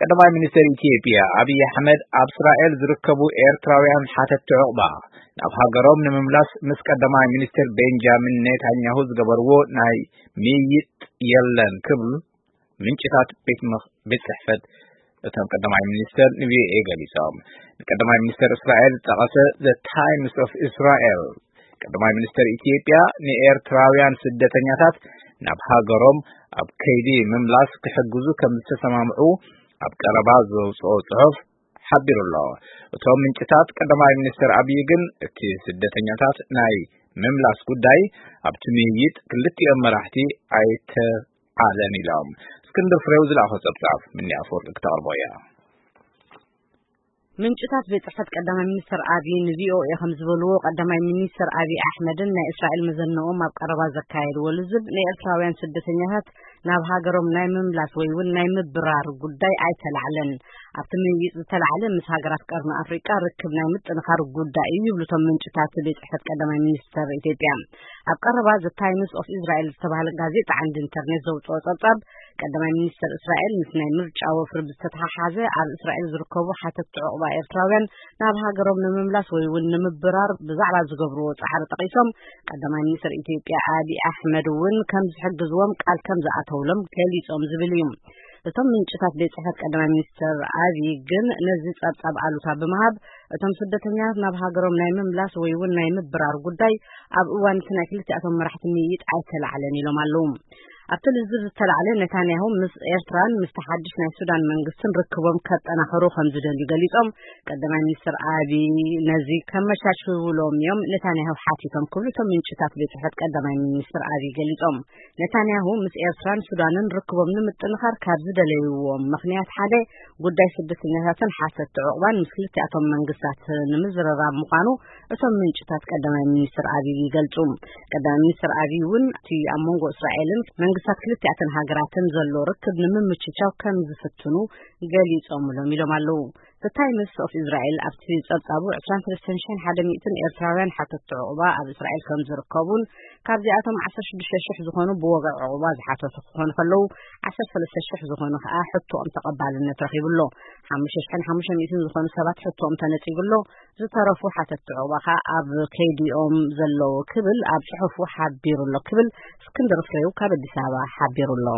ቀዳማይ ሚኒስትር ኢትዮጵያ ኣብይ ኣሕመድ ኣብ እስራኤል ዝርከቡ ኤርትራውያን ሓተቲ ዑቕባ ናብ ሃገሮም ንምምላስ ምስ ቀዳማይ ሚኒስትር ቤንጃሚን ኔታንያሁ ዝገበርዎ ናይ ምይይጥ የለን ክብል ምንጭታት ቤት ምኽ-፣ ቤት ጽሕፈት እቶም ቀዳማይ ሚኒስትር ንቪኦኤ ገሊጾም። ንቀዳማይ ሚኒስትር እስራኤል ዝጠቐሰ The Times of Israel፣ ቀዳማይ ሚኒስትር ኢትዮጵያ ንኤርትራውያን ስደተኛታት ናብ ሃገሮም ኣብ ከይዲ ምምላስ ክሕግዙ ከም ዝተሰማምዑ ኣብ ቀረባ ዘውፅኦ ጽሑፍ ሓቢሩ ኣሎ። እቶም ምንጭታት ቀዳማይ ሚኒስትር ኣብይ ግን እቲ ስደተኛታት ናይ ምምላስ ጉዳይ ኣብቲ ምይይጥ ክልቲኦም መራሕቲ ኣይተዓለን ኢሎም። እስክንድር ፍሬው ዝለኣኾ ጸብጻብ ምኒ ኣፈወርቂ ክተቕርቦ እያ። ምንጭታት ቤት ጽሕፈት ቀዳማይ ሚኒስትር ኣብይ ንቪኦኤ ከም ዝበልዎ፣ ቀዳማይ ሚኒስትር ኣብይ ኣሕመድን ናይ እስራኤል መዘነኦም ኣብ ቀረባ ዘካየድዎ ልዝብ ንኤርትራውያን ስደተኛታት ናብ ሃገሮም ናይ ምምላስ ወይ እውን ናይ ምብራር ጉዳይ ኣይተላዕለን። ኣብቲ ምይይጥ ዝተላዕለ ምስ ሃገራት ቀርኒ ኣፍሪቃ ርክብ ናይ ምጥንኻር ጉዳይ እዩ ይብሉ እቶም ምንጭታት ቤት ጽሕፈት ቀዳማይ ሚኒስትር ኢትዮጵያ። ኣብ ቀረባ The Times of Israel ዝተባህለ ጋዜጣ ዓንዲ ኢንተርኔት ዘውፅኦ ጸብጻብ፣ ቀዳማይ ሚኒስትር እስራኤል ምስ ናይ ምርጫ ወፍሪ ብዝተተሓሓዘ ኣብ እስራኤል ዝርከቡ ሓተቲ ዑቕባ ኤርትራውያን ናብ ሃገሮም ንምምላስ ወይ እውን ንምብራር ብዛዕባ ዝገብርዎ ጻዕሪ ጠቒሶም፣ ቀዳማይ ሚኒስትር ኢትዮጵያ ኣብይ ኣሕመድ እውን ከም ዝሕግዝዎም ቃል ከም ዝኣተውሎም ገሊጾም ዝብል እዩ። እቶም ምንጭታት ቤት ጽሕፈት ቀዳማይ ሚኒስትር ኣብይ ግን ነዚ ጸብጻብ ኣሉታ ብምሃብ፣ እቶም ስደተኛታት ናብ ሃገሮም ናይ ምምላስ ወይ እውን ናይ ምብራር ጉዳይ ኣብ እዋን እቲ ናይ ክልቲኣቶም መራሕቲ ምይይጥ ኣይተላዕለን ኢሎም ኣለዉ። ኣብቲ ልዝብ ዝተላዕለ፣ ኔታንያሁ ምስ ኤርትራን ምስቲ ሓድሽ ናይ ሱዳን መንግስትን ርክቦም ከጠናኸሩ ከም ዝደልዩ ገሊጾም፣ ቀዳማይ ሚኒስትር ኣብይ ነዚ ከመቻችውሎም እዮም ኔታንያሁ ሓቲቶም ክብሉ እቶም ምንጭታት ቤት ጽሕፈት ቀዳማይ ሚኒስትር ኣብይ ገሊጾም። ኔታንያሁ ምስ ኤርትራን ሱዳንን ርክቦም ንምጥንኻር ካብ ዝደለይዎም ምኽንያት ሓደ ጉዳይ ስደተኛታትን ሓተቲ ዑቕባን ምስ ክልቲኣቶም መንግስታት ንምዝርራብ ምዃኑ እቶም ምንጭታት ቀዳማይ ሚኒስትር ኣብይ ይገልጹ። ቀዳማይ ሚኒስትር ኣብይ እውን እቲ ኣብ መንጎ እስራኤልን መንግስታት ክልቲኣተን ሃገራትን ዘሎ ርክብ ንምምችቻው ከም ዝፍትኑ ገሊጾምሎም ኢሎም ኣለዉ። The Times of Israel ኣብቲ ጸብጻቡ ዕስራን ሰለስተን ሽሕን ሓደ ሚእትን ኤርትራውያን ሓተቲ ዑቕባ ኣብ እስራኤል ከም ዝርከቡን ካብዚኣቶም ዓሰርተ ሽዱሽተ ሽሕ ዝኾኑ ብወግዒ ዑቕባ ዝሓተቱ ክኾኑ ከለዉ፣ ዓሰርተ ሰለስተ ሽሕ ዝኾኑ ከኣ ሕቶኦም ተቐባልነት ረኺቡ ኣሎ። ሓሙሽተ ሽሕን ሓሙሽተ ሚእትን ዝኾኑ ሰባት ሕቶኦም ተነጺጉ ኣሎ። ዝተረፉ ሓተቲ ዑቕባ ከኣ ኣብ ከይዲኦም ዘለዉ ክብል ኣብ ጽሑፉ ሓቢሩ ኣሎ ክብል እስክንድር ፍሬው ካብ ኣዲስ ኣበባ ሓቢሩ ኣሎ።